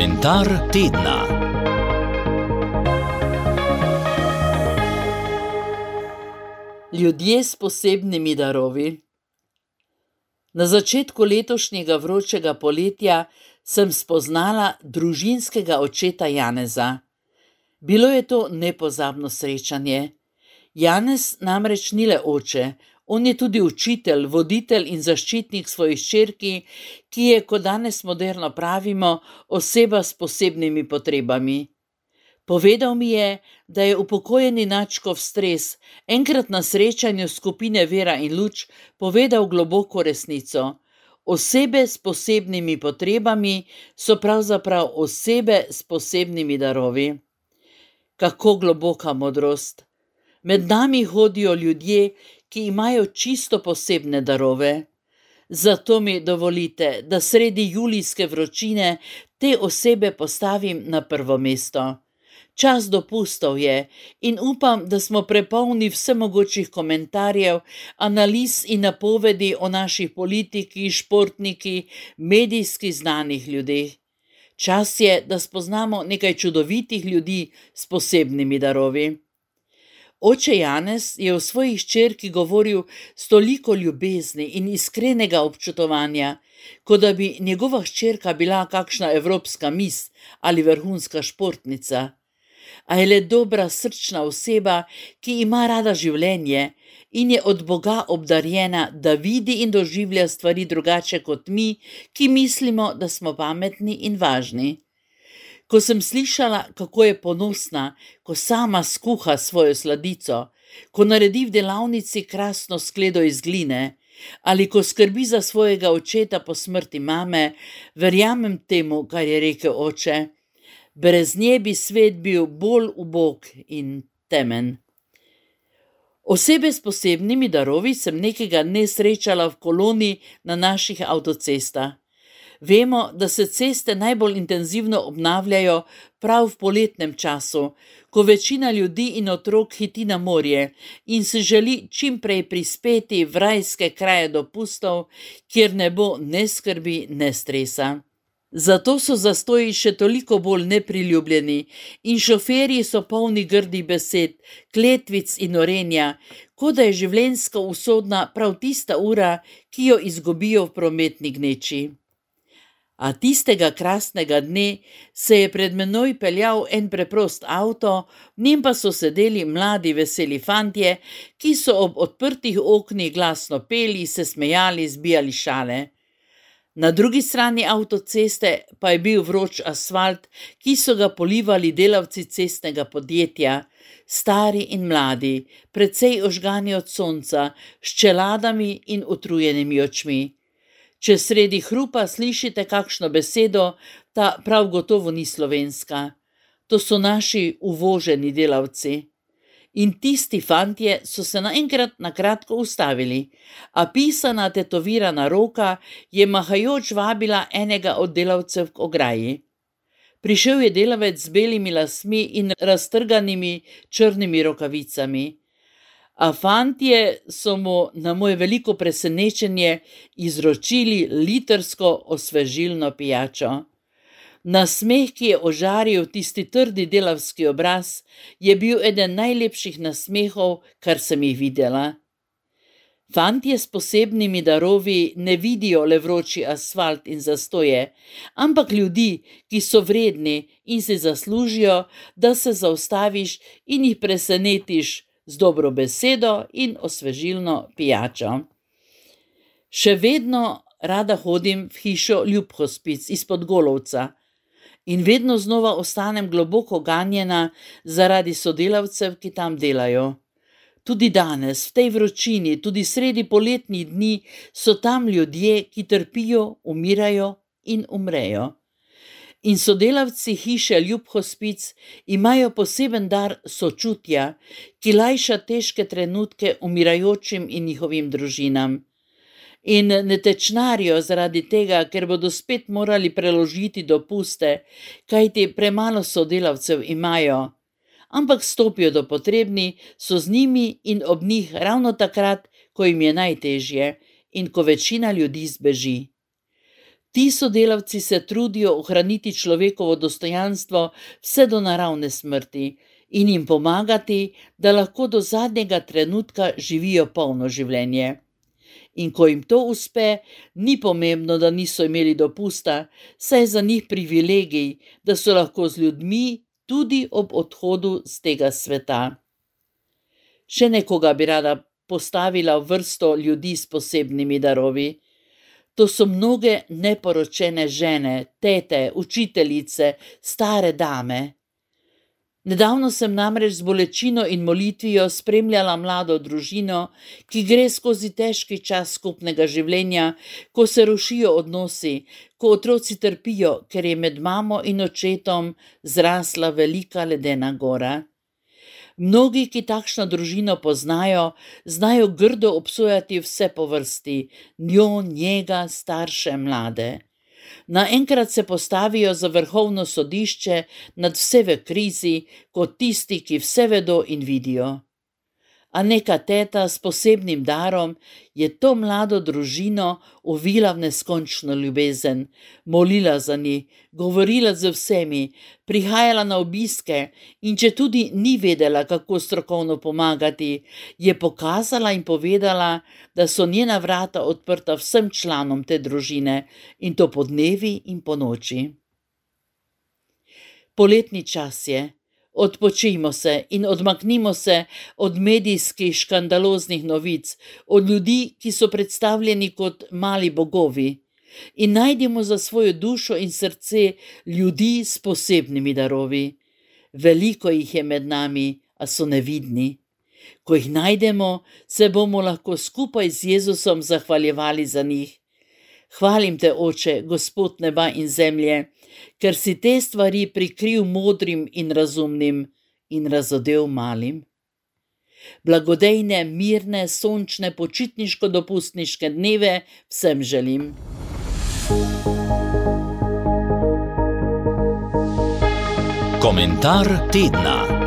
Komentar tedna. Ljudje s posebnimi darovi. Na začetku letošnjega vročega poletja sem spoznala družinskega očeta Janeza. Bilo je to nepozabno srečanje. Janez namreč ni le oče, on je tudi učitelj, voditelj in zaščitnik svojih hčerki, ki je, kot danes moderno pravimo, oseba s posebnimi potrebami. Povedal mi je, da je upokojeni nadškof Stres enkrat na srečanju skupine Vera in luč povedal globoko resnico. Osebe s posebnimi potrebami so pravzaprav osebe s posebnimi darovi. Kako globoka modrost! Med nami hodijo ljudje, ki imajo čisto posebne darove. Zato mi dovolite, da sredi julijske vročine te osebe postavim na prvo mesto. Čas dopustov je in upam, da smo prepolni vsemogočih komentarjev, analiz in napovedi o naših politikih, športnikih, medijskih znanih ljudeh. Čas je, da spoznamo nekaj čudovitih ljudi s posebnimi darovi. Oče Janez je o svoji hčerki govoril s toliko ljubezni in iskrenega občutovanja, kot da bi njegova hčerka bila kakšna evropska mis ali vrhunska športnica. A je le dobra srčna oseba, ki ima rada življenje in je od Boga obdarjena, da vidi in doživlja stvari drugače kot mi, ki mislimo, da smo pametni in važni. Ko sem slišala, kako je ponosna, ko sama skuha svojo sladico, ko naredi v delavnici krasno skledo iz gline, ali ko skrbi za svojega očeta po smrti mame, verjamem temu, kar je rekel oče. Brez nje bi svet bil bolj ubog in temen. Osebe s posebnimi darovi sem nekega dne srečala v koloni na naših avtocestah. Vemo, da se ceste najbolj intenzivno obnavljajo prav v poletnem času, ko večina ljudi in otrok hiti na morje in se želi čim prej prispeti v rajske kraje dopustov, kjer ne bo ne skrbi, ne stresa. Zato so zastoji še toliko bolj nepriljubljeni in šoferji so polni grdih besed, kletvic in orenja, kot da je življenjsko usodna prav tista ura, ki jo izgubijo v prometni gneči. A tistega krasnega dne se je pred menoj peljal en preprost avto, v njem pa so sedeli mladi veseli fantje, ki so ob odprtih oknih glasno peli, se smejali, zbijali šale. Na drugi strani avtoceste pa je bil vroč asfalt, ki so ga polivali delavci cestnega podjetja, stari in mladi, precej ožgani od sonca, s čeladami in utrujenimi očmi. Če sredi hrupa slišite kakšno besedo, ta prav gotovo ni slovenska. To so naši uvoženi delavci. In tisti fantje so se naenkrat na kratko ustavili, a pisana tetovirana roka je mahajoč vabila enega od delavcev k ograji. Prišel je delavec z belimi lasmi in raztrganimi črnimi rokavicami. A fantje so mu na moje veliko presenečenje izročili litrsko osvežilno pijačo. Nasmeh, ki je ožaril tisti trdi delavski obraz, je bil eden najlepših nasmehov, kar sem jih videla. Fantje s posebnimi darovi ne vidijo le vroči asfalt in zastoje, ampak ljudi, ki so vredni in si zaslužijo, da se zaustaviš in jih presenetiš z dobro besedo in osvežilno pijačo. Še vedno rada hodim v hišo Ljubhospic izpod Golovca in vedno znova ostanem globoko ganjena zaradi sodelavcev, ki tam delajo. Tudi danes, v tej vročini, tudi sredi poletnih dni, so tam ljudje, ki trpijo, umirajo in umrejo. In sodelavci hiše Ljubhospic imajo poseben dar sočutja, ki lajša težke trenutke umirajočim in njihovim družinam. In ne tečnarijo zaradi tega, ker bodo spet morali preložiti dopuste, kajti premalo sodelavcev imajo, ampak stopijo do potrebni, so z njimi in ob njih ravno takrat, ko jim je najtežje in ko večina ljudi zbeži. Ti sodelavci se trudijo ohraniti človekovo dostojanstvo vse do naravne smrti in jim pomagati, da lahko do zadnjega trenutka živijo polno življenje. In ko jim to uspe, ni pomembno, da niso imeli dopusta, saj je za njih privilegij, da so lahko z ljudmi tudi ob odhodu z tega sveta. Še nekoga bi rada postavila v vrsto ljudi s posebnimi darovi. To so mnoge neporočene žene, tete, učiteljice, stare dame. Nedavno sem namreč z bolečino in molitvijo spremljala mlado družino, ki gre skozi težki čas skupnega življenja, ko se rušijo odnosi, ko otroci trpijo, ker je med mamo in očetom zrasla velika ledena gora. Mnogi, ki takšno družino poznajo, znajo grdo obsojati vse po vrsti, njo, njega, starše, mlade. Naenkrat se postavijo za vrhovno sodišče nad vse v krizi, kot tisti, ki vse vedo in vidijo. A neka teta s posebnim darom je to mlado družino ovila v neskončno ljubezen, molila za njih, govorila z vsemi, prihajala na obiske in če tudi ni vedela, kako strokovno pomagati, je pokazala in povedala, da so njena vrata odprta vsem članom te družine in to po dnevi in po noči. Poletni čas je. Odpočijmo se in odmaknimo se od medijskih škandaloznih novic, od ljudi, ki so predstavljeni kot mali bogovi, in najdimo za svojo dušo in srce ljudi s posebnimi darovi. Veliko jih je med nami, a so nevidni. Ko jih najdemo, se bomo lahko skupaj z Jezusom zahvaljevali za njih. Hvalim te, Oče, Gospod neba in zemlje, ker si te stvari prikril modrim in razumnim in razodel malim. Blagodejne, mirne, sončne, počitniško-dopustniške dneve vsem želim. Komentar tedna.